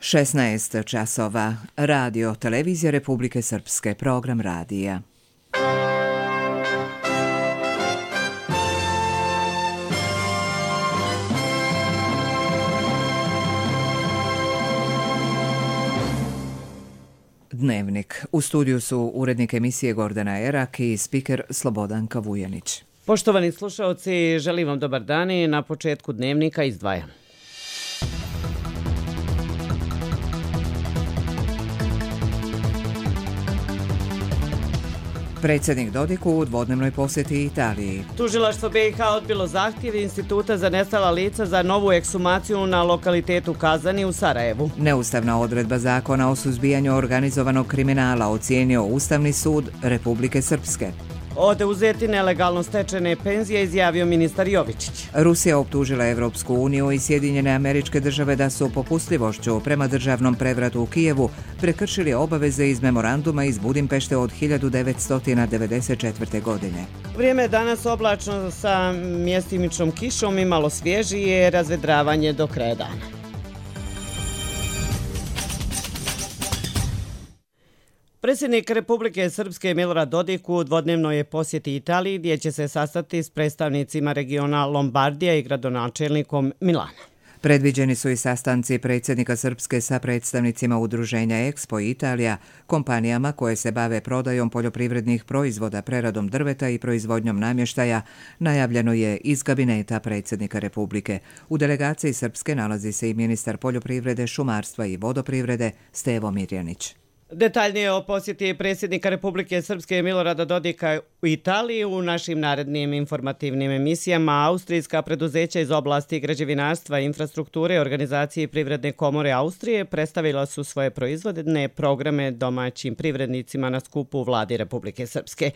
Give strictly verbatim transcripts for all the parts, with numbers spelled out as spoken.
šesnaest časova. Radio Televizija Republike Srpske. Program radija. Dnevnik. U studiju su urednik emisije Gordana Erak i spiker Slobodanka Vujanić. Poštovani slušaoci, želim vam dobar dan i na početku dnevnika izdvajam. Predsjednik Dodik u dvodnevnoj posjeti Italiji. Tužilaštvo B i H odbilo zahtjev Instituta za nestala lica za novu ekshumaciju na lokalitetu Kazani u Sarajevu. Neustavna odredba zakona o suzbijanju organizovanog kriminala ocijenio Ustavni sud Republike Srpske. Oduzeti nelegalno stečene penzije izjavio ministar Jovičić. Rusija optužila Evropsku uniju i Sjedinjene Američke Države da su popustljivošću prema državnom prevratu u Kijevu prekršili obaveze iz memoranduma iz Budimpešte od hiljadu devetsto devedeset četvrte. godine. Vrijeme je danas oblačno sa mjestimičnom kišom i malo svježije, razvedravanje do kraja dana. Predsjednik Republike Srpske Milorad Dodik u dvodnevnoj posjeti Italiji gdje će se sastati s predstavnicima regiona Lombardija i gradonačelnikom Milana. Predviđeni su i sastanci predsjednika Srpske sa predstavnicima udruženja Expo Italija, kompanijama koje se bave prodajom poljoprivrednih proizvoda, preradom drveta i proizvodnjom namještaja, najavljeno je iz kabineta predsjednika Republike. U delegaciji Srpske nalazi se i ministar poljoprivrede, šumarstva i vodoprivrede Stevo Mirjanić. Detaljnije o posjeti predsjednika Republike Srpske Milorada Dodika u Italiji u našim narednim informativnim emisijama. Austrijska preduzeća iz oblasti građevinarstva, infrastrukture i organizacije Privredne komore Austrije predstavila su svoje proizvodne programe domaćim privrednicima na skupu u vladi Republike Srpske.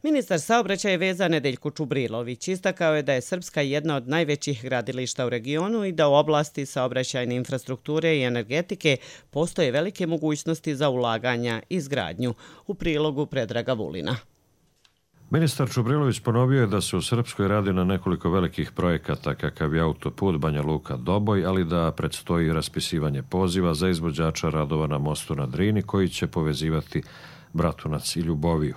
Ministar saobraćaja i veza Nedeljko Čubrilović istakao je da je Srpska jedna od najvećih gradilišta u regionu i da u oblasti saobraćajne infrastrukture i energetike postoje velike mogućnosti za ulaganje i izgradnju. U prilogu Predraga Vulina. Ministar Čubrilović ponovio je da se u Srpskoj radi na nekoliko velikih projekata kakav je autoput Banja Luka-Doboj, ali da predstoji raspisivanje poziva za izvođača radova na mostu na Drini koji će povezivati Bratunac i Ljuboviju.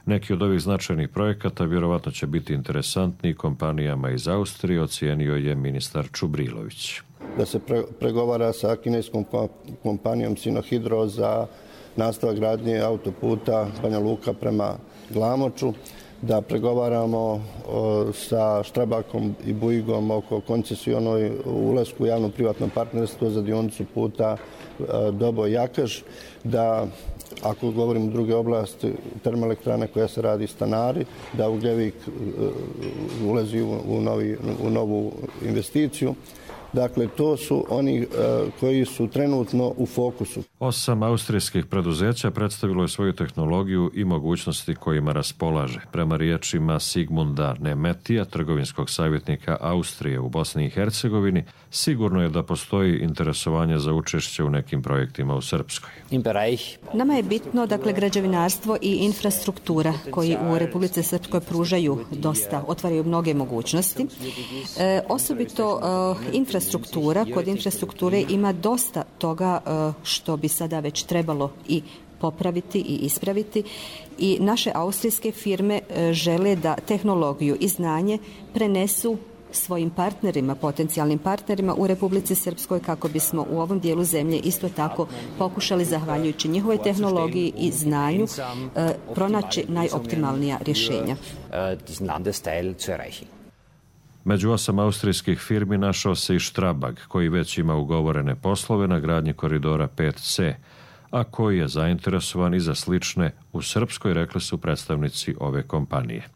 Neki od ovih značajnih projekata vjerovatno će biti interesantni kompanijama iz Austrije, ocijenio je ministar Čubrilović. Da se pre, pregovara sa kineskom kompanijom Sinohydro za nastavak gradnje autoputa Banja Luka prema Glamoču, da pregovaramo o, sa Štrabakom i Bujigom oko koncesionoj ulasku u javno-privatno partnerstvo za dionicu puta Doboj-Jakaš, da ako govorimo druge oblasti termoelektrane koja se radi Stanari, da Ugljevik ulazi u, u, novi, u novu investiciju. Dakle, to su oni uh, koji su trenutno u fokusu. Osam austrijskih preduzeća predstavilo je svoju tehnologiju i mogućnosti kojima raspolaže. Prema riječima Sigmunda Nemetija, trgovinskog savjetnika Austrije u Bosni i Hercegovini, sigurno je da postoji interesovanje za učešće u nekim projektima u Srpskoj. Nama je bitno, dakle, građevinarstvo i infrastruktura koji u Republici Srpskoj pružaju dosta, otvaraju mnoge mogućnosti. E, osobito e, infrastruktura Struktura, kod infrastrukture ima dosta toga što bi sada već trebalo i popraviti i ispraviti i naše austrijske firme žele da tehnologiju i znanje prenesu svojim partnerima, potencijalnim partnerima u Republici Srpskoj kako bismo u ovom dijelu zemlje isto tako pokušali, zahvaljujući njihovoj tehnologiji i znanju, pronaći najoptimalnija rješenja. Među osam austrijskih firmi našao se i Štrabag, koji već ima ugovorene poslove na gradnji koridora pet ce, a koji je zainteresovan i za slične u Srpskoj, rekli su predstavnici ove kompanije.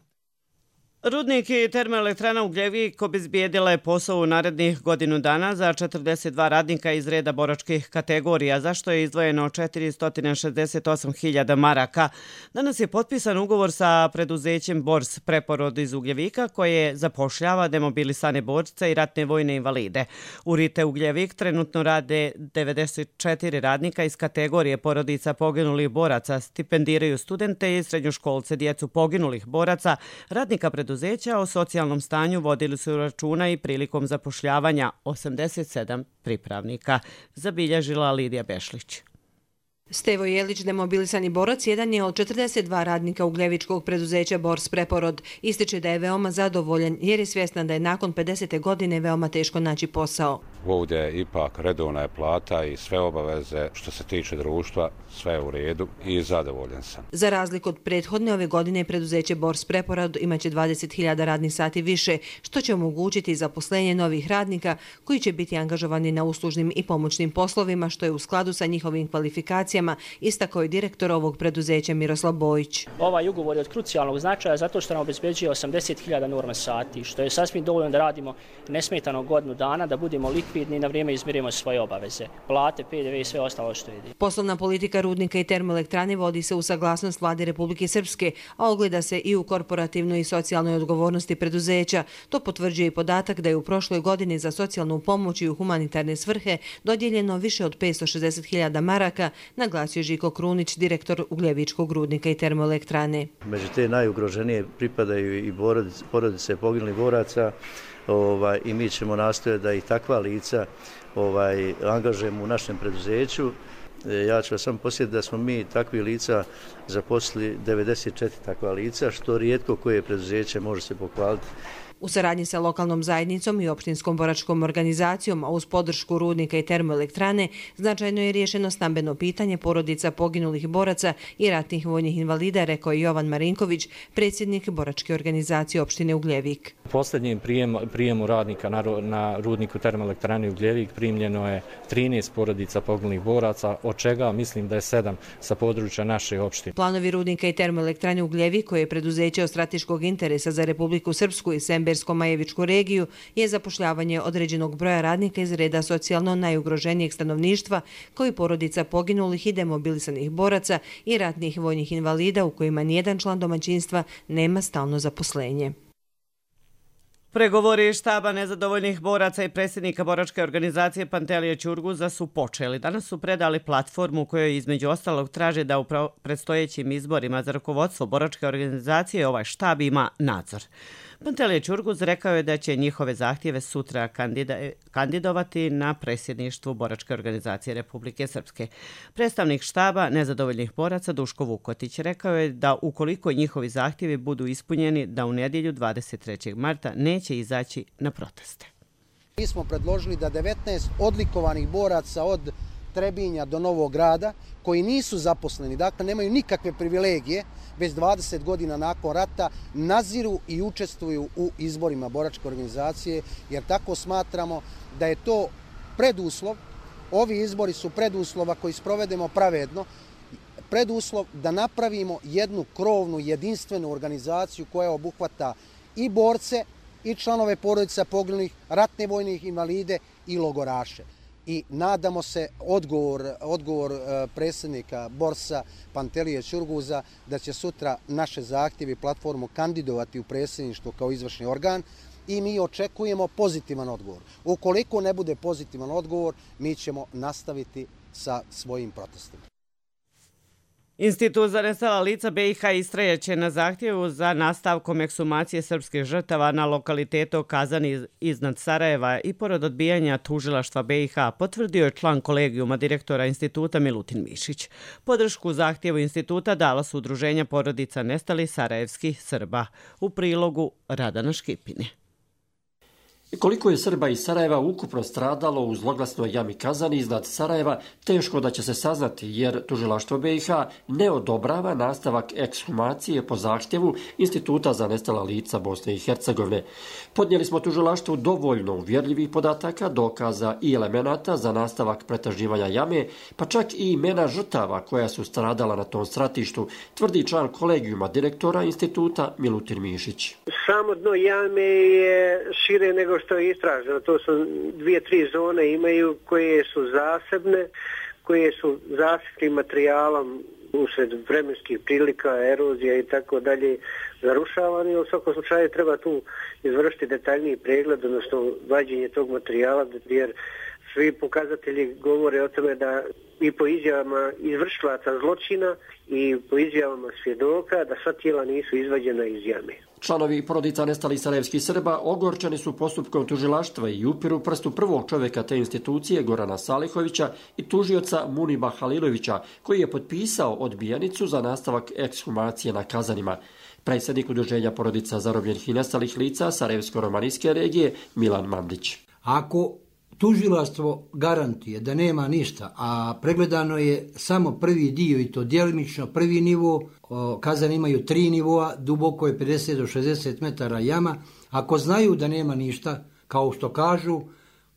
Rudnik i termoelektrana Ugljevik obezbijedila je posao u narednih godinu dana za četrdeset dva radnika iz reda boračkih kategorija, za što je izdvojeno četiristo šezdeset osam hiljada maraka. Danas je potpisan ugovor sa preduzećem Bors Preporod iz Ugljevika koje zapošljava demobilisane borce i ratne vojne invalide. U Rite Ugljevik trenutno rade devedeset četiri radnika iz kategorije porodica poginulih boraca, stipendiraju studente i srednjoškolce, djecu poginulih boraca, radnika preduzeća preduzeća, o socijalnom stanju vodili su računa i prilikom zapošljavanja osamdeset sedam pripravnika, zabilježila Lidija Bešlić. Stevo Jelić, demobilisani borac, jedan je od četrdeset dva radnika ugljevičkog preduzeća Bors Preporod. Ističe da je veoma zadovoljan jer je svjestan da je nakon pedesete godine veoma teško naći posao. Ovdje je ipak redovna je plata i sve obaveze što se tiče društva, sve je u redu i zadovoljan sam. Za razliku od prethodne, ove godine preduzeće Bors Preporod imaće dvadeset hiljada radnih sati više, što će omogućiti zaposlenje novih radnika koji će biti angažovani na uslužnim i pomoćnim poslovima, što je u skladu sa njihovim kvalifikacijama, istakao je direktor ovog preduzeća Miroslav Bojić. Ovaj ugovor je od krucijalnog značaja zato što nam obezbeđuje osamdeset hiljada norma sati, što je sasvim dovoljno da radimo nesmetano godinu dana, da budemo likvidni i na vrijeme izmirimo svoje obaveze, plate, P D V i sve ostalo što ide. Poslovna politika rudnika i termoelektrane vodi se u saglasnost Vlade Republike Srpske, a ogleda se i u korporativnoj i socijalnoj odgovornosti preduzeća. To potvrđuje i podatak da je u prošloj godini za socijalnu pomoć i u humanitarne svrhe dodijeljeno više od petsto šezdeset hiljada maraka, naglasio Žiko Krunić, direktor Ugljevičkog rudnika i termoelektrane. Među te najugroženije pripadaju i porodice, porodice poginulih boraca, ovaj, i mi ćemo nastojati da i takva lica ovaj, angažujemo u našem preduzeću. Ja ću vas samo posjetiti da smo mi takvi lica zaposlili devedeset četiri takva lica, što rijetko koje preduzeće može se pohvaliti. U saradnji sa lokalnom zajednicom i opštinskom boračkom organizacijom, a uz podršku rudnika i termoelektrane, značajno je riješeno stambeno pitanje porodica poginulih boraca i ratnih vojnih invalida, rekao je Jovan Marinković, predsjednik boračke organizacije opštine Ugljevik. U posljednjem prijemu, prijemu radnika na, na rudniku termoelektrane Ugljevik primljeno je trinaest porodica poginulih boraca, od čega mislim da je sedam sa područja naše opštine. Planovi rudnika i termoelektrane Ugljevik, koje je preduzeće od strateškog interesa za Republiku Srpsku i Sembersko-Majevičku regiju, je zapošljavanje određenog broja radnika iz reda socijalno najugroženijeg stanovništva, koji porodica poginulih i demobilisanih boraca i ratnih vojnih invalida u kojima nijedan član domaćinstva nema stalno zaposlenje. Pregovori štaba nezadovoljnih boraca i predsjednika boračke organizacije Pantelije Ćurguza su počeli. Danas su predali platformu kojoj između ostalog traže da u predstojećim izborima za rukovodstvo boračke organizacije ovaj štab ima nadzor. Pantelije Ćurguz rekao je da će njihove zahtjeve sutra kandida- kandidovati na predsjedništvu boračke organizacije Republike Srpske. Predstavnik štaba nezadovoljnih boraca Duško Vukotić rekao je da ukoliko njihovi zahtjevi budu ispunjeni, da u nedjelju dvadeset trećeg marta neće izaći na proteste. Mi smo predložili da devetnaest odlikovanih boraca od Trebinja do Novog Grada, koji nisu zaposleni, dakle nemaju nikakve privilegije, već dvadeset godina nakon rata naziru i učestvuju u izborima boračke organizacije, jer tako smatramo da je to preduslov, ovi izbori su preduslova koji sprovedemo pravedno, preduslov da napravimo jednu krovnu, jedinstvenu organizaciju koja obuhvata i borce, i članove porodica poginulih, ratne vojnih invalide i logoraše. I nadamo se odgovor, odgovor predsjednika Borsa Pantelije Ćurguza da će sutra naše zahtjeve i platformu kandidovati u predsjedništvo kao izvršni organ i mi očekujemo pozitivan odgovor. Ukoliko ne bude pozitivan odgovor, mi ćemo nastaviti sa svojim protestima. Institut za nestala lica B i H istrajaće na zahtjevu za nastavkom eksumacije srpskih žrtava na lokalitetu Kazani iznad Sarajeva i pored odbijanja tužilaštva B i H, potvrdio je član kolegijuma direktora instituta Milutin Mišić. Podršku zahtjevu instituta dala su udruženja porodica nestalih sarajevskih Srba. U prilogu Radana Škipine. Koliko je Srba iz Sarajeva ukupno stradalo u zloglasnoj jami Kazani iznad Sarajeva, teško da će se saznati, jer tužilaštvo B i H ne odobrava nastavak ekshumacije po zahtjevu Instituta za nestala lica Bosne i Hercegovine. Podnijeli smo tužilaštvu dovoljno uvjerljivih podataka, dokaza i elemenata za nastavak pretraživanja jame, pa čak i imena žrtava koja su stradala na tom stratištu, tvrdi član kolegijuma direktora instituta Milutin Mišić. Samo dno jame je šire nego što je istraženo. To su dvije, tri zone imaju koje su zasebne, koje su zasebnim materijalom usred vremenskih prilika, erozija i tako dalje, zarušavani. U svakom slučaju treba tu izvršiti detaljniji pregled, odnosno vađenje tog materijala, jer svi pokazatelji govore o tome da i po izjavama izvršilaca zločina i po izjavama svjedoka da sva tijela nisu izvađena iz jame. Članovi porodica nestalih sarajevskih Srba ogorčeni su postupkom tužilaštva i upiru prstu prvog čovjeka te institucije Gorana Salihovića i tužioca Muniba Halilovića, koji je potpisao odbijanicu za nastavak ekshumacije na Kazanima. Predsjednik udruženja porodica zarobljenih i nestalih lica Sarajevsko-romanijske regije Milan Mandić. Ako tužilaštvo garantuje da nema ništa, a pregledano je samo prvi dio i to djelimično prvi nivo, Kazani imaju tri nivoa, duboko je pedeset do šezdeset metara jama. Ako znaju da nema ništa, kao što kažu,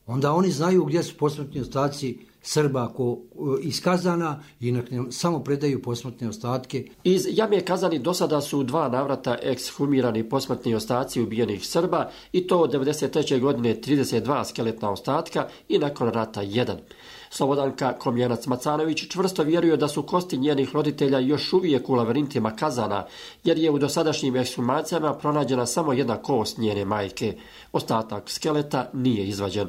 onda oni znaju gdje su posmrtni ostaci Srba ko, iz Kazana i samo predaju posmrtne ostatke. Iz jame Kazani do sada su dva navrata ekshumirani posmrtni ostaci ubijenih Srba i to od devedeset treće godine trideset dva skeletna ostatka i nakon rata jedan. Slobodanka Komjanac-Macanović čvrsto vjeruje da su kosti njenih roditelja još uvijek u lavirintima Kazana, jer je u dosadašnjim ekshumacijama pronađena samo jedna kost njene majke. Ostatak skeleta nije izvađen.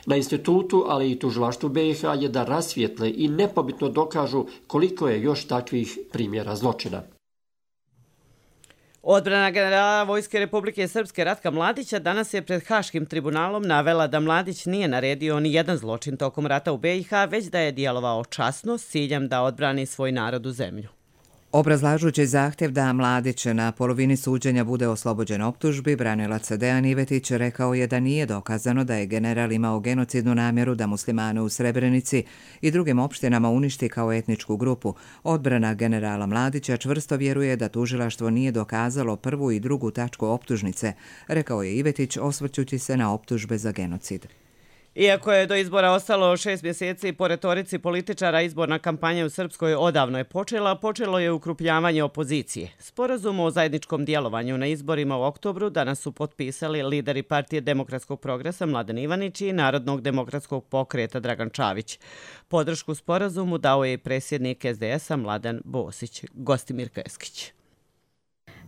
Na institutu, ali i tužilaštvu B i H je da rasvijetle i nepobitno dokažu koliko je još takvih primjera zločina. Odbrana generala Vojske Republike Srpske Ratka Mladića danas je pred Haškim tribunalom navela da Mladić nije naredio ni jedan zločin tokom rata u B i H, već da je djelovao časno s ciljem da odbrani svoj narod u zemlju. Obrazlažući zahtjev da Mladić na polovini suđenja bude oslobođen optužbi, branilac Dejan Ivetić rekao je da nije dokazano da je general imao genocidnu namjeru da muslimane u Srebrenici i drugim opštinama uništi kao etničku grupu. Odbrana generala Mladića čvrsto vjeruje da tužilaštvo nije dokazalo prvu i drugu tačku optužnice, rekao je Ivetić osvrćući se na optužbe za genocid. Iako je do izbora ostalo šest mjeseci, po retorici političara izborna kampanja u Srpskoj odavno je počela, počelo je ukrupnjavanje opozicije. Sporazum o zajedničkom djelovanju na izborima u oktobru danas su potpisali lideri Partije demokratskog progresa Mladen Ivanić i Narodnog demokratskog pokreta Dragan Čavić. Podršku sporazumu dao je i predsjednik S D S-a Mladen Bosić. Gostimir Keskić.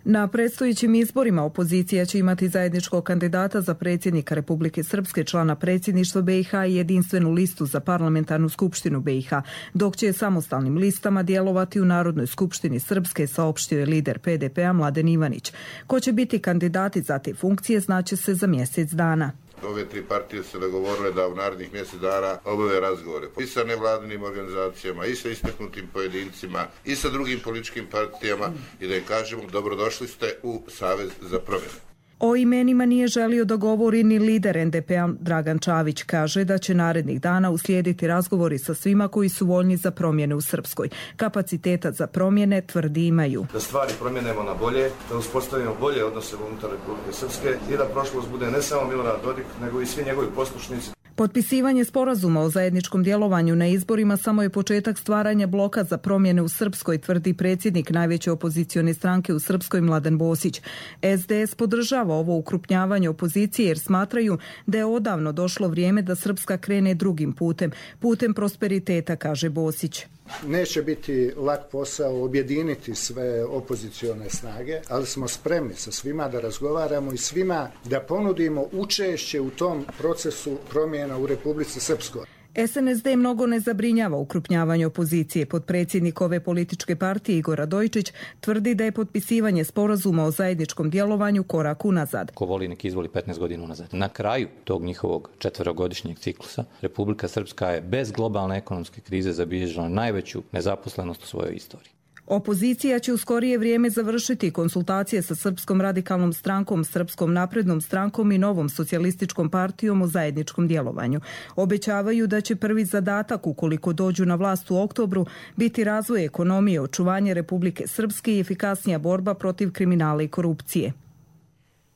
Na predstojećim izborima opozicija će imati zajedničkog kandidata za predsjednika Republike Srpske, člana predsjedništva B i H i jedinstvenu listu za parlamentarnu skupštinu B i H, dok će samostalnim listama djelovati u Narodnoj skupštini Srpske, saopštio je lider P D P-a Mladen Ivanić. Ko će biti kandidati za te funkcije znaće se za mjesec dana. Ove tri partije se dogovorile da u narednih mjesec dana obave razgovore i sa nevladinim organizacijama, i sa istaknutim pojedincima, i sa drugim političkim partijama i da im kažemo dobrodošli ste u Savez za promjene. O imenima nije želio da govori ni lider N D P-a Dragan Čavić. Kaže da će narednih dana uslijediti razgovori sa svima koji su voljni za promjene u Srpskoj. Kapaciteta za promjene tvrdi imaju. Da stvari promjenemo na bolje, da uspostavimo bolje odnose unutar Republike Srpske i da prošlost bude ne samo Milorad Dodik, nego i svi njegovi poslušnici. Potpisivanje sporazuma o zajedničkom djelovanju na izborima samo je početak stvaranja bloka za promjene u Srpskoj, tvrdi predsjednik najveće opozicione stranke u Srpskoj Mladen Bosić. S D S podržava ovo ukrupnjavanje opozicije jer smatraju da je odavno došlo vrijeme da Srpska krene drugim putem, putem prosperiteta, kaže Bosić. Neće biti lak posao objediniti sve opozicione snage, ali smo spremni sa svima da razgovaramo i svima da ponudimo učešće u tom procesu promjena u Republici Srpskoj. S N S D mnogo ne zabrinjava ukrupnjavanje opozicije. Potpredsjednik ove političke partije Igor Radojčić tvrdi da je potpisivanje sporazuma o zajedničkom djelovanju korak unazad. Ko voli nek izvoli petnaest godina unazad. Na kraju tog njihovog četverogodišnjeg ciklusa Republika Srpska je bez globalne ekonomske krize zabilježila najveću nezaposlenost u svojoj istoriji. Opozicija će u skorije vrijeme završiti konsultacije sa Srpskom radikalnom strankom, Srpskom naprednom strankom i Novom socijalističkom partijom o zajedničkom djelovanju. Obećavaju da će prvi zadatak, ukoliko dođu na vlast u oktobru, biti razvoj ekonomije, očuvanje Republike Srpske i efikasnija borba protiv kriminala i korupcije.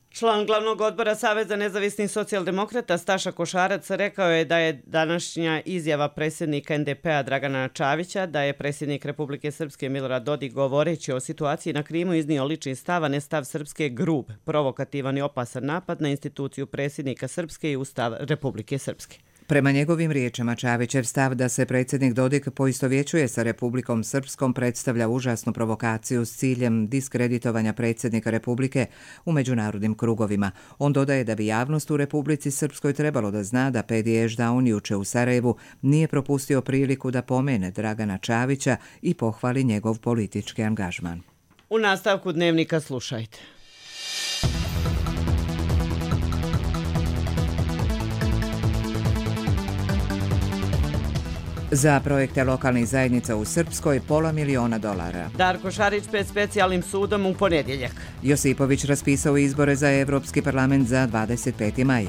Član glavnog odbora Saveza nezavisnih socijaldemokrata Staša Košarac rekao je da je današnja izjava predsjednika N D P-a Dragana Čavića da je predsjednik Republike Srpske Milorad Dodik govoreći o situaciji na Krimu iznio lični stav, a ne stav Srpske grub, provokativan i opasan napad na instituciju predsjednika Srpske i Ustav Republike Srpske. Prema njegovim riječima, Čavićev stav da se predsjednik Dodik poistovjećuje sa Republikom Srpskom predstavlja užasnu provokaciju s ciljem diskreditovanja predsjednika Republike u međunarodnim krugovima. On dodaje da bi javnost u Republici Srpskoj trebalo da zna da Pedi Ešdaun juče u Sarajevu nije propustio priliku da pomene Dragana Čavića i pohvali njegov politički angažman. U nastavku Dnevnika slušajte. Za projekte lokalnih zajednica u Srpskoj pola miliona dolara. Darko Šarić pred specijalnim sudom u ponedjeljak. Josipović raspisao izbore za Evropski parlament za dvadeset peti maj.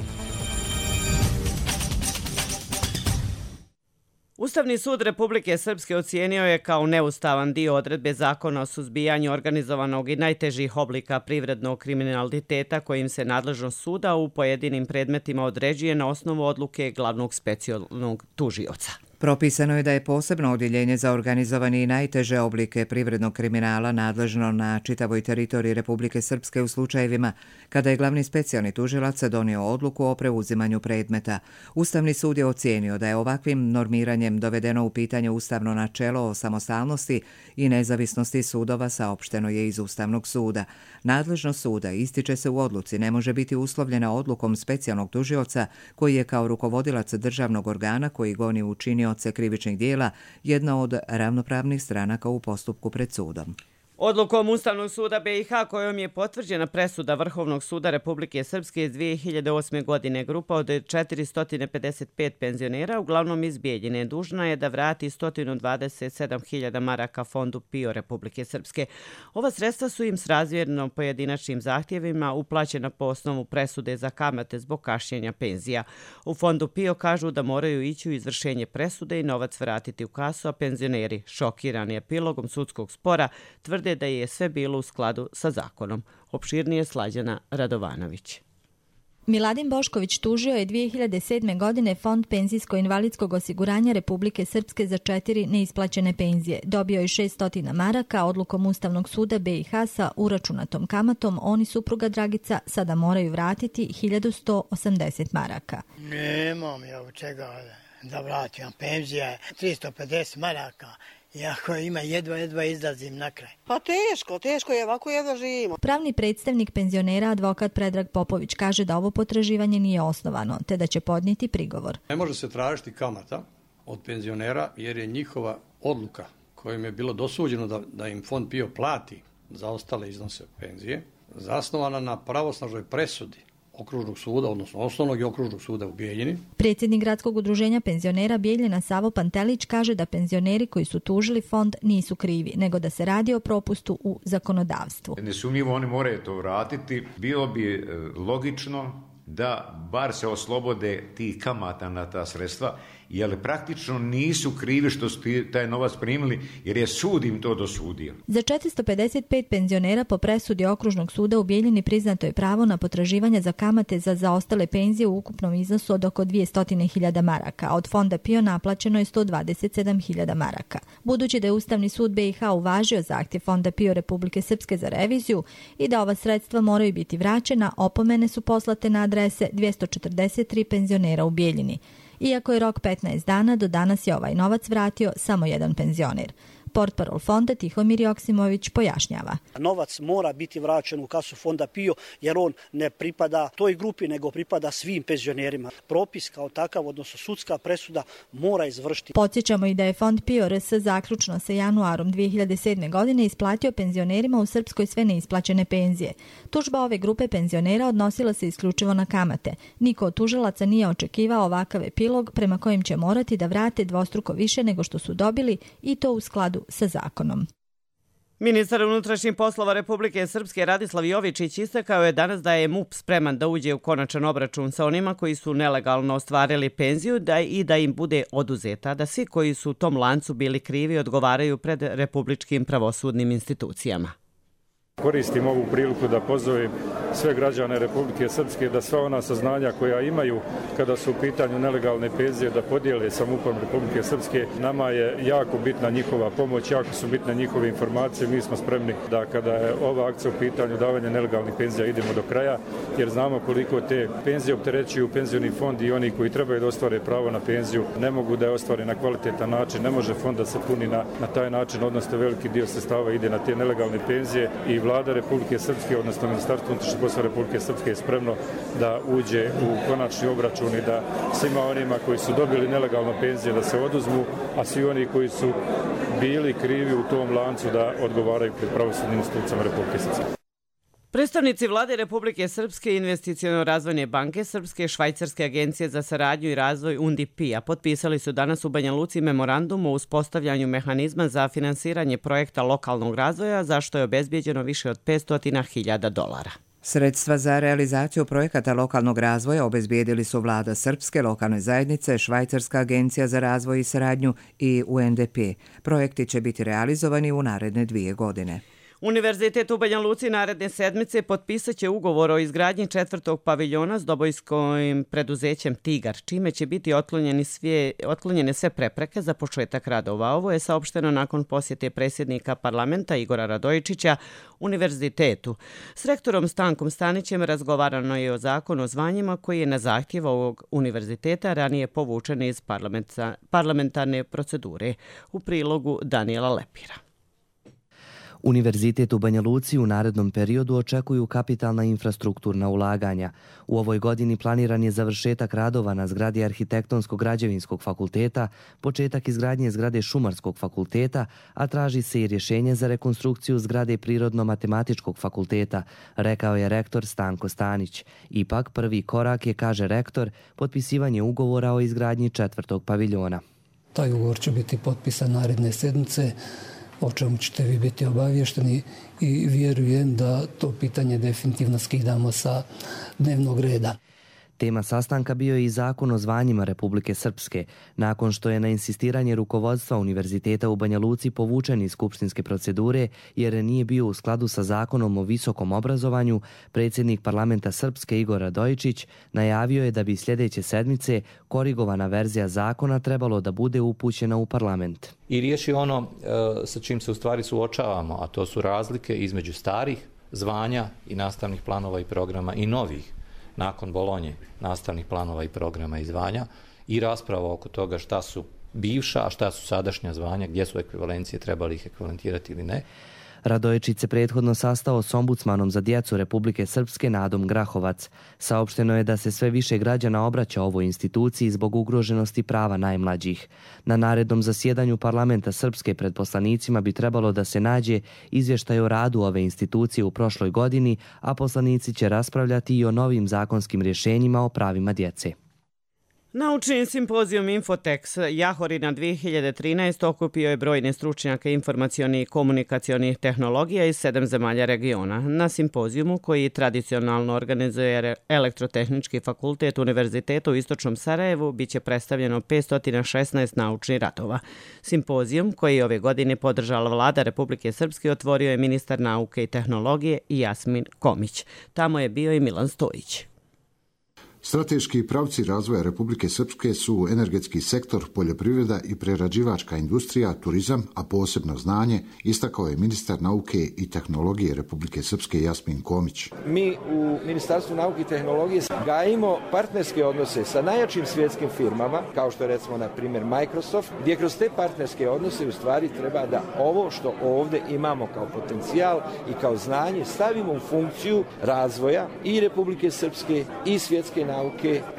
Ustavni sud Republike Srpske ocijenio je kao neustavan dio odredbe Zakona o suzbijanju organizovanog i najtežih oblika privrednog kriminaliteta kojim se nadležnost suda u pojedinim predmetima određuje na osnovu odluke glavnog specijalnog tužioca. Propisano je da je posebno odjeljenje za organizovani i najteže oblike privrednog kriminala nadležno na čitavoj teritoriji Republike Srpske u slučajevima kada je glavni specijalni tužilac donio odluku o preuzimanju predmeta. Ustavni sud je ocijenio da je ovakvim normiranjem dovedeno u pitanje ustavno načelo o samostalnosti i nezavisnosti sudova, saopšteno je iz Ustavnog suda. Nadležnost suda, ističe se u odluci, ne može biti uslovljena odlukom specijalnog tužioca koji je kao rukovodilac državnog organa koji goni učinioce krivičnih dijela jedna od ravnopravnih stranaka u postupku pred sudom. Odlukom Ustavnog suda B i H kojom je potvrđena presuda Vrhovnog suda Republike Srpske iz dvije hiljade osme. godine, grupa od četiristo pedeset pet penzionera, uglavnom iz Bijeljine, dužna je da vrati sto dvadeset sedam hiljada maraka Fondu PIO Republike Srpske. Ova sredstva su im srazmjerno pojedinačnim zahtjevima uplaćena po osnovu presude za kamate zbog kašnjenja penzija. U Fondu PIO kažu da moraju ići u izvršenje presude i novac vratiti u kasu, a penzioneri, šokirani epilogom sudskog spora, tvrde da je sve bilo u skladu sa zakonom. Opširnije Slađana Radovanović. Miladin Bošković tužio je dvije hiljade sedme. godine Fond penzijsko-invalidskog osiguranja Republike Srpske za četiri neisplaćene penzije. Dobio je šesto maraka, odlukom Ustavnog suda B i H sa uračunatom kamatom. On i supruga Dragica sada moraju vratiti hiljadu sto osamdeset maraka. Nemam ja od čega da vratim, penzija je tristo pedeset maraka. Iako ima jedva, jedva izlazim na kraj. Pa teško, teško je, ovako jedva živimo. Pravni predstavnik penzionera, advokat Predrag Popović, kaže da ovo potraživanje nije osnovano, te da će podnijeti prigovor. Ne može se tražiti kamata od penzionera jer je njihova odluka kojim je bilo dosuđeno da, da im Fond PIO plati za ostale iznose penzije, zasnovana na pravosnažnoj presudi okružnog suda, odnosno osnovnog i okružnog suda u Bijeljini. Predsjednik gradskog udruženja penzionera Bijeljina Savo Pantelić kaže da penzioneri koji su tužili fond nisu krivi, nego da se radi o propustu u zakonodavstvu. Nesumnjivo oni moraju to vratiti. Bilo bi logično da bar se oslobode tih kamata na ta sredstva, jer praktično nisu krivi što su taj novac primili, jer je sud im to dosudio. Za četiristo pedeset pet penzionera po presudi okružnog suda u Bijeljini priznato je pravo na potraživanje za kamate za zaostale penzije u ukupnom iznosu od oko dvjesto hiljada maraka, a od Fonda PIO naplaćeno je sto dvadeset sedam hiljada maraka. Budući da je Ustavni sud B i H uvažio zahtjev Fonda PIO Republike Srpske za reviziju i da ova sredstva moraju biti vraćena, opomene su poslate na adrese dvjesto četrdeset tri penzionera u Bijeljini. Iako je rok petnaest dana, do danas je ovaj novac vratio samo jedan penzioner. Portparol fonda Tihomir Joksimović pojašnjava. Novac mora biti vraćen u kasu Fonda PIO jer on ne pripada toj grupi nego pripada svim penzionerima. Propis kao takav, odnosno sudska presuda, mora izvršiti. Podsjećamo i da je Fond PIO R S zaključno sa januarom dvije hiljade sedme. godine isplatio penzionerima u Srpskoj sve neisplaćene penzije. Tužba ove grupe penzionera odnosila se isključivo na kamate. Niko od tužilaca nije očekivao ovakav epilog prema kojem će morati da vrate dvostruko više nego što su dobili i to u skladu sa zakonom. Ministar unutrašnjih poslova Republike Srpske Radislav Jovičić istakao je danas da je M U P spreman da uđe u konačan obračun sa onima koji su nelegalno ostvarili penziju da i da im bude oduzeta, da svi koji su u tom lancu bili krivi odgovaraju pred republičkim pravosudnim institucijama. Koristim ovu priliku da pozovem sve građane Republike Srpske da sva ona saznanja koja imaju kada su u pitanju nelegalne penzije da podijele samoupravom Republike Srpske. Nama je jako bitna njihova pomoć, jako su bitne njihove informacije. Mi smo spremni da kada je ova akcija u pitanju davanja nelegalnih penzija idemo do kraja, jer znamo koliko te penzije opterećuju penzioni fond i oni koji trebaju da ostvare pravo na penziju ne mogu da je ostvare na kvalitetan način. Ne može fond da se puni na, na taj način, odnosno veliki dio sredstava ide na te nelegalne penzije i Vlada Republike Srpske, odnosno Ministarstvo unutrašnjih poslova Republike Srpske je spremno da uđe u konačni obračun i da svima onima koji su dobili nelegalno penzije da se oduzmu, a svi oni koji su bili krivi u tom lancu da odgovaraju pred pravosudnim institucijama Republike Srpske. Predstavnici Vlade Republike Srpske, Investiciono-razvojne banke Srpske, Švajcarske agencije za saradnju i razvoj U N D P-a potpisali su danas u Banja Luci memorandum o uspostavljanju mehanizma za finansiranje projekta lokalnog razvoja, za što je obezbijeđeno više od petsto hiljada dolara. Sredstva za realizaciju projekata lokalnog razvoja obezbijedili su Vlada Srpske, lokalne zajednice, Švajcarska agencija za razvoj i saradnju i U N D P. Projekti će biti realizovani u naredne dvije godine. Univerzitet u Banja Luci naredne sedmice potpisat će ugovor o izgradnji četvrtog paviljona s dobojskim preduzećem Tigar, čime će biti otklonjeni sve, otklonjene sve prepreke za početak radova. Ovo je saopšteno nakon posjete predsjednika parlamenta Igora Radojičića univerzitetu. S rektorom Stankom Stanićem razgovarano je o zakonu o zvanjima koji je na zahtjev ovog univerziteta ranije povučen iz parlamentarne procedure. U prilogu Daniela Lepira. Univerzitet u Banja Luci u narednom periodu očekuju kapitalna infrastrukturna ulaganja. U ovoj godini planiran je završetak radova na zgradi Arhitektonsko-građevinskog fakulteta, početak izgradnje zgrade Šumarskog fakulteta, a traži se i rješenje za rekonstrukciju zgrade Prirodno-matematičkog fakulteta, rekao je rektor Stanko Stanić. Ipak prvi korak je, kaže rektor, potpisivanje ugovora o izgradnji četvrtog paviljona. Taj ugovor će biti potpisan naredne sedmice, o čemu ćete vi biti obavješteni i vjerujem da to pitanje definitivno skidamo sa dnevnog reda. Tema sastanka bio je i zakon o zvanjima Republike Srpske. Nakon što je na insistiranje rukovodstva Univerziteta u Banja Luci povučen iz skupštinske procedure jer nije bio u skladu sa zakonom o visokom obrazovanju, predsjednik parlamenta Srpske Igor Radojičić najavio je da bi sljedeće sedmice korigovana verzija zakona trebalo da bude upućena u parlament. I riješi ono e, sa čim se u stvari suočavamo, a to su razlike između starih zvanja i nastavnih planova i programa i novih nakon Bolonje nastavnih planova i programa i zvanja i rasprava oko toga šta su bivša, a šta su sadašnja zvanja, gdje su ekvivalencije, trebali ih ekvivalentirati ili ne. Radojičić se prethodno sastao s ombudsmanom za djecu Republike Srpske Nadom Grahovac. Saopšteno je da se sve više građana obraća ovoj instituciji zbog ugroženosti prava najmlađih. Na narednom zasjedanju parlamenta Srpske pred poslanicima bi trebalo da se nađe izvještaj o radu ove institucije u prošloj godini, a poslanici će raspravljati i o novim zakonskim rješenjima o pravima djece. Naučni simpozijum Infotex Jahorina dvije hiljade trinaeste okupio je brojne stručnjake informacionih i komunikacionih tehnologija iz sedam zemalja regiona. Na simpozijumu, koji tradicionalno organizuje Elektrotehnički fakultet Univerziteta u Istočnom Sarajevu, biće predstavljeno petsto šesnaest naučnih radova. Simpozijum, koji je ove godine podržala Vlada Republike Srpske, otvorio je ministar nauke i tehnologije Jasmin Komić. Tamo je bio i Milan Stojić. Strateški pravci razvoja Republike Srpske su energetski sektor, poljoprivreda i prerađivačka industrija, turizam, a posebno znanje, istakao je ministar nauke i tehnologije Republike Srpske Jasmin Komić. Mi u Ministarstvu nauke i tehnologije gajimo partnerske odnose sa najjačim svjetskim firmama, kao što je recimo na primjer Microsoft, gdje kroz te partnerske odnose u stvari treba da ovo što ovdje imamo kao potencijal i kao znanje stavimo u funkciju razvoja i Republike Srpske i svjetske nauke.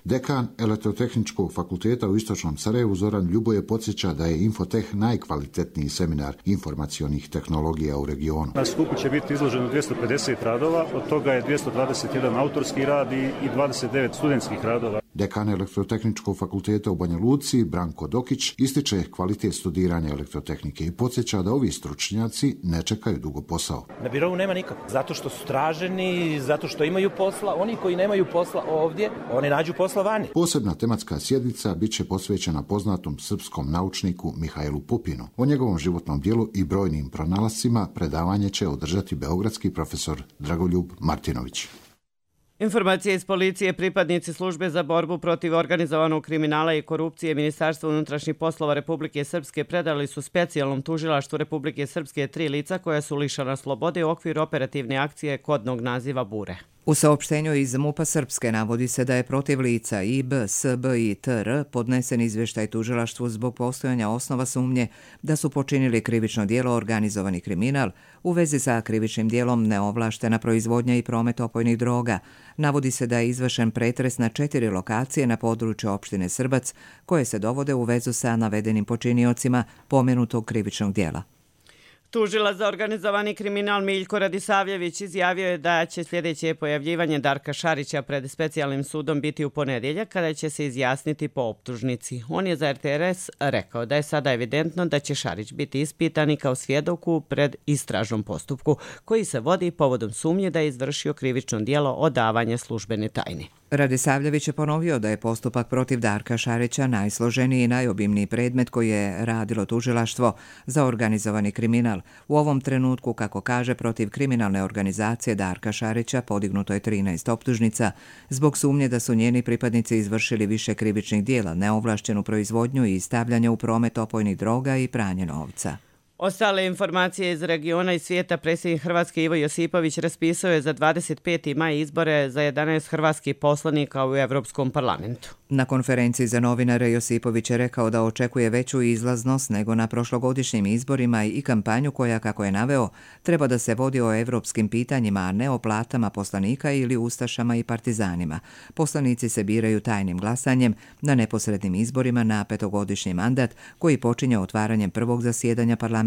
Dekan Elektrotehničkog fakulteta u Istočnom Sarajevu Zoran Ljuboje podsjeća da je Infoteh najkvalitetniji seminar informacionih tehnologija u regionu. Na skupu će biti izloženo dvjesto pedeset radova, od toga je dvjesto dvadeset jedan autorski rad i dvadeset devet studentskih radova. Dekan Elektrotehničkog fakulteta u Banja Luci, Branko Dokić, ističe kvalitet studiranja elektrotehnike i podsjeća da ovi stručnjaci ne čekaju dugo posao. Na birovu nema nikako, zato što su traženi, zato što imaju posla. Oni koji nemaju posla ovdje, oni nađu posla vani. Posebna tematska sjednica bit će posvećena poznatom srpskom naučniku Mihajlu Pupinu. O njegovom životnom dijelu i brojnim pronalascima predavanje će održati beogradski profesor Dragoljub Martinović. Informacije iz policije, pripadnici službe za borbu protiv organizovanog kriminala i korupcije Ministarstva unutrašnjih poslova Republike Srpske predali su specijalnom tužilaštvu Republike Srpske tri lica koja su lišana slobode u okviru operativne akcije kodnog naziva Bure. U saopštenju iz MUP-a Srpske navodi se da je protiv lica I B, S B i T R podnesen izvještaj tužilaštvu zbog postojanja osnova sumnje da su počinili krivično djelo organizovani kriminal u vezi sa krivičnim djelom neovlaštena proizvodnja i promet opojnih droga. Navodi se da je izvršen pretres na četiri lokacije na području opštine Srbac koje se dovode u vezu sa navedenim počiniocima pomenutog krivičnog djela. Tužilac za organizovani kriminal Miljko Radisavljević izjavio je da će sljedeće pojavljivanje Darka Šarića pred specijalnim sudom biti u ponedjeljak kada će se izjasniti po optužnici. On je za R T R S rekao da je sada evidentno da će Šarić biti ispitan i kao svjedoku pred istražnom postupku koji se vodi povodom sumnje da je izvršio krivično djelo odavanja službene tajne. Radisavljević je ponovio da je postupak protiv Darka Šarića najsloženiji i najobimniji predmet koji je radilo tužilaštvo za organizovani kriminal. U ovom trenutku, kako kaže, protiv kriminalne organizacije Darka Šarića podignuto je trinaest optužnica zbog sumnje da su njeni pripadnici izvršili više krivičnih djela, neovlašćenu proizvodnju i stavljanje u promet opojnih droga i pranje novca. Ostale informacije iz regiona i svijeta predsjednik Hrvatske Ivo Josipović raspisao je za dvadeset peti maj izbore za jedanaest hrvatskih poslanika u Europskom parlamentu. Na konferenciji za novinare Josipović je rekao da očekuje veću izlaznost nego na prošlogodišnjim izborima i kampanju koja, kako je naveo, treba da se vodi o evropskim pitanjima, a ne o platama poslanika ili ustašama i partizanima. Poslanici se biraju tajnim glasanjem na neposrednim izborima na petogodišnji mandat koji počinje otvaranjem prvog zasjedanja parlamenta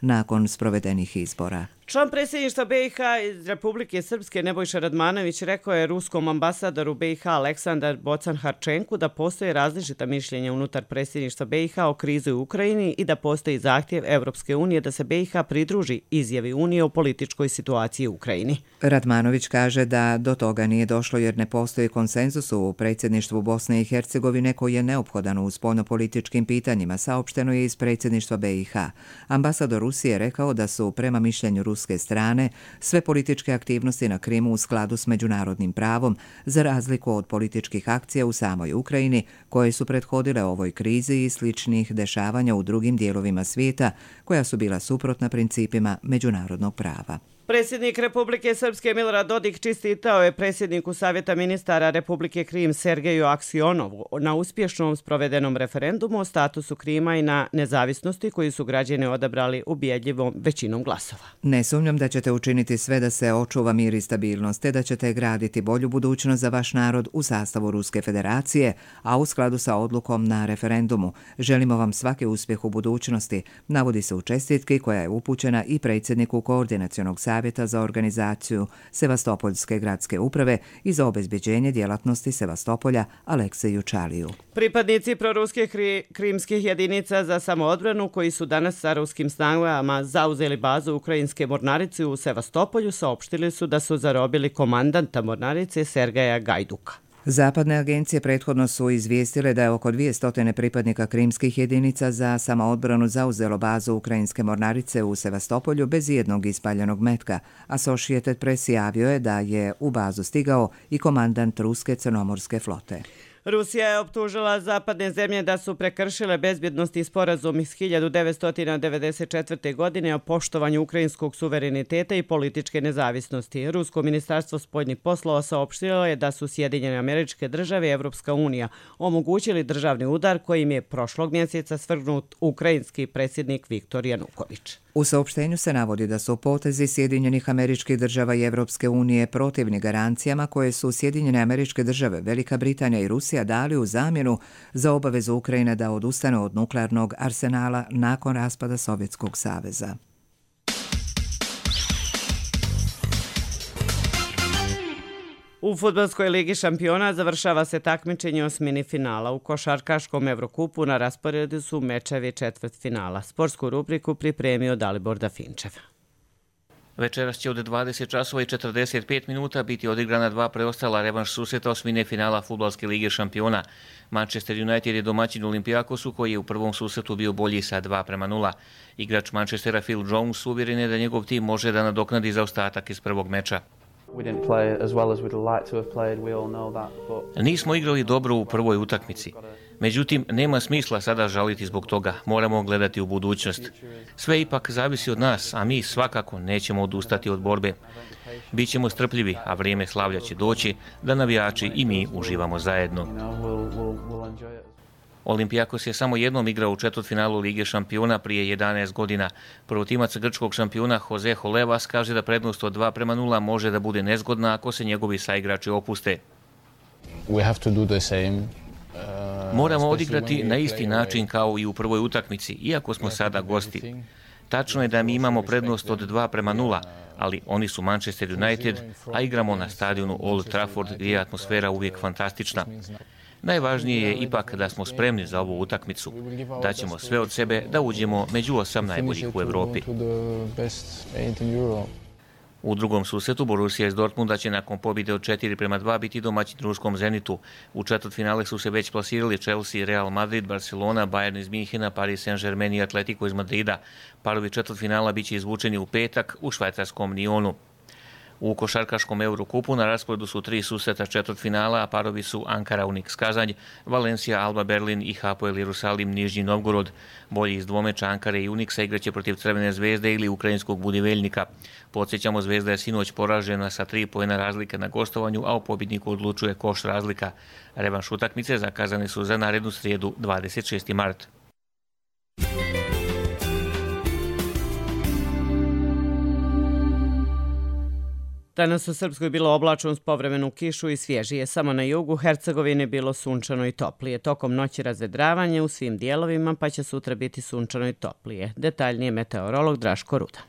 nakon sprovedenih izbora. Član predsjedništva B i H iz Republike Srpske Nebojša Radmanović rekao je ruskom ambasadoru B i H Aleksandar Bocan-Harčenku da postoje različita mišljenja unutar predsjedništva B i H o krizi u Ukrajini i da postoji zahtjev Evropske unije da se B i H pridruži izjavi Unije o političkoj situaciji u Ukrajini. Radmanović kaže da do toga nije došlo jer ne postoji konsenzus u predsjedništvu Bosne i Hercegovine koji je neophodan u spoljnopolitičkim pitanjima, saopšteno je iz predsjedništva B i H. Ambasador Rusije rekao da su prema mišljenju ruske strane sve političke aktivnosti na Krimu u skladu s međunarodnim pravom, za razliku od političkih akcija u samoj Ukrajini koje su prethodile ovoj krizi i sličnih dešavanja u drugim dijelovima svijeta koja su bila suprotna principima međunarodnog prava. Predsjednik Republike Srpske Milorad Dodik čestitao je predsjedniku Savjeta ministara Republike Krim Sergeju Aksionovu na uspješnom sprovedenom referendumu o statusu Krima i na nezavisnosti koju su građani odabrali ubjedljivom većinom glasova. Ne sumnjam da ćete učiniti sve da se očuva mir i stabilnost, te da ćete graditi bolju budućnost za vaš narod u sastavu Ruske federacije, a u skladu sa odlukom na referendumu. Želimo vam svaki uspjeh u budućnosti, navodi se u čestitki koja je upućena i predsjedniku Koordinacionog savjeta Savjeta za organizaciju Sevastopoljske gradske uprave i za obezbeđenje djelatnosti Sevastopolja Alekseju Čaliju. Pripadnici proruskih kri, krimskih jedinica za samoodbranu koji su danas sa ruskim snagama zauzeli bazu ukrajinske mornarice u Sevastopolju saopštili su da su zarobili komandanta mornarice Sergeja Gajduka. Zapadne agencije prethodno su izvijestile da je oko dvjesto pripadnika krimskih jedinica za samoodbranu zauzelo bazu ukrajinske mornarice u Sevastopolju bez jednog ispaljenog metka. Associated Press javio je da je u bazu stigao i komandant ruske crnomorske flote. Rusija je optužila zapadne zemlje da su prekršile bezbjednosni sporazum iz hiljadu devetsto devedeset četvrte. godine o poštovanju ukrajinskog suvereniteta i političke nezavisnosti. Rusko ministarstvo spoljnih poslova saopštilo je da su Sjedinjene Američke Države i Evropska unija omogućili državni udar kojim je prošlog mjeseca svrgnut ukrajinski predsjednik Viktor Januković. U saopštenju se navodi da su potezi Sjedinjenih Američkih Država i Evropske unije protivni garancijama koje su Sjedinjene Američke Države, Velika Britanija i Rusija dali u zamjenu za obavezu Ukrajine da odustane od nuklearnog arsenala nakon raspada Sovjetskog saveza. U fudbalskoj ligi šampiona završava se takmičenje osmini finala. U košarkaškom Evrokupu na rasporedu su mečevi četvrtfinala. Sportsku rubriku pripremio Dalibor Dafinčev. Večeras će od dvadeset časova i četrdeset pet minuta biti odigrana dva preostala revanš susreta osmine finala fudbalske lige šampiona. Manchester United je domaćin Olimpijakosu koji je u prvom susretu bio bolji sa dva prema nula. Igrač Manchestera Phil Jones uvjeren je da njegov tim može da nadoknadi zaostatak iz prvog meča. Nismo igrali dobro u prvoj utakmici. Međutim, nema smisla sada žaliti zbog toga. Moramo gledati u budućnost. Sve ipak zavisi od nas, a mi svakako nećemo odustati od borbe. Bićemo strpljivi, a vrijeme slavlja će doći da navijači i mi uživamo zajedno. Olimpijakos je samo jednom igrao u četvrtfinalu Lige šampiona prije jedanaest godina. Prvotimac grčkog šampiona Jose Holevas kaže da prednost od dva prema nula može da bude nezgodna ako se njegovi saigrači opuste. We have to do the same. Moramo odigrati na isti način kao i u prvoj utakmici, iako smo sada gosti. Tačno je da mi imamo prednost od dva prema nula, ali oni su Manchester United, a igramo na stadionu Old Trafford gdje je atmosfera uvijek fantastična. Najvažnije je ipak da smo spremni za ovu utakmicu. Daćemo sve od sebe da uđemo među osam najboljih u Evropi. U drugom susretu Borussia iz Dortmunda će nakon pobjede od četiri prema dva biti domaćin ruskom Zenitu. U četvrtfinale su se već plasirali Chelsea, Real Madrid, Barcelona, Bayern iz Minhena, Paris Saint-Germain i Atletico iz Madrida. Parovi četvrtfinala biće izvučeni u petak u švajcarskom Lyonu. U košarkaškom Eurokupu na rasporedu su tri susreta četvrtfinala, a parovi su Ankara Unix Kazanj, Valencija Alba Berlin i Hapoel Jerusalim Nižnji Novgorod. Bolji iz dvomeča Ankare i Unixa igraće protiv Crvene zvezde ili ukrajinskog Budiveljnika. Podsjećamo, Zvezda je sinoć poražena sa tri poena razlike na gostovanju, a o pobjedniku odlučuje koš razlika. Revanš utakmice zakazane su za narednu srijedu dvadeset šesti mart. Danas u Srpskoj bilo oblačno uz povremenu kišu i svježije. Samo na jugu Hercegovine bilo sunčano i toplije. Tokom noći razvedravanje u svim dijelovima, pa će sutra biti sunčano i toplije. Detaljnije meteorolog Draško Ruda.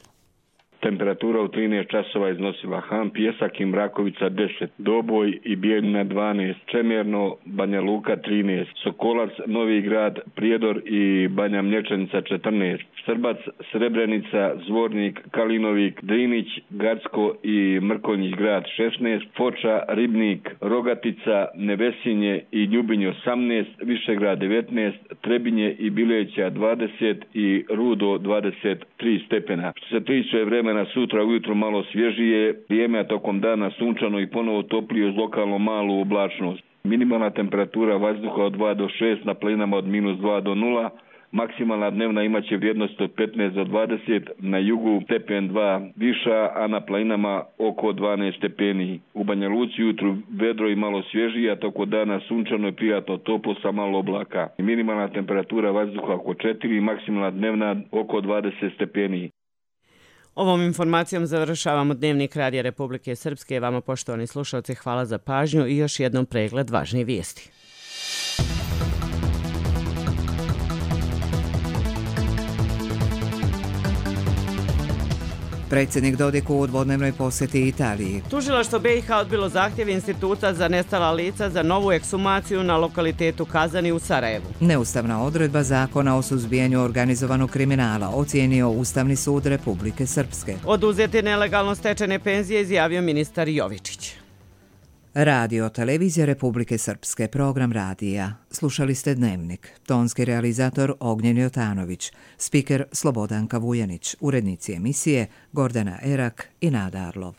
Temperatura u trinaest časova iznosila Han, Pjesak i Mrakovica deset, Doboj i Bijeljina dvanaest, Čemerno, Banja Luka trinaest, Sokolac, Novi Grad, Prijedor i Banja Mlječanica četrnaest, Srbac, Srebrenica, Zvornik, Kalinovik, Drinić, Gacko i Mrkonjić grad šesnaest, Foča, Ribnik, Rogatica, Nevesinje i Ljubinj osamnaest, Višegrad devetnaest, Trebinje i Bileća dvadeset i Rudo dvadeset tri stepena. Što se tiče vremena sutra ujutro malo svježije, vrijeme a tokom dana sunčano i ponovo toplije uz lokalno malu oblačnost. Minimalna temperatura vazduha od dva do šest, na planinama od minus dva do nula, maksimalna dnevna imaće vrijednost od petnaest do dvadeset, na jugu stepen dva viša, a na planinama oko dvanaest stepeni. U Banja Luci jutru vedro i malo svježije, a tokom dana sunčano i prijatno toplo sa malo oblaka. Minimalna temperatura vazduha oko četiri, maksimalna dnevna oko dvadeset stepeni. Ovom informacijom završavamo Dnevnik Radija Republike Srpske. Vama, poštovani slušalci, hvala za pažnju i još jednom pregled važnijih vijesti. Predsjednik Dodik u dvodnevnoj posjeti Italiji. Tužilaštvo B i H odbilo zahtjev Instituta za nestala lica za novu ekshumaciju na lokalitetu Kazani u Sarajevu. Neustavna odredba zakona o suzbijanju organizovanog kriminala ocijenio Ustavni sud Republike Srpske. Oduzeti nelegalno stečene penzije izjavio ministar Jovičić. Radio Televizija Republike Srpske, program radija. Slušali ste Dnevnik. Tonski realizator Ognjen Jotanović, spiker Slobodanka Vujanić, urednici emisije Gordana Erak i Nada Arlov.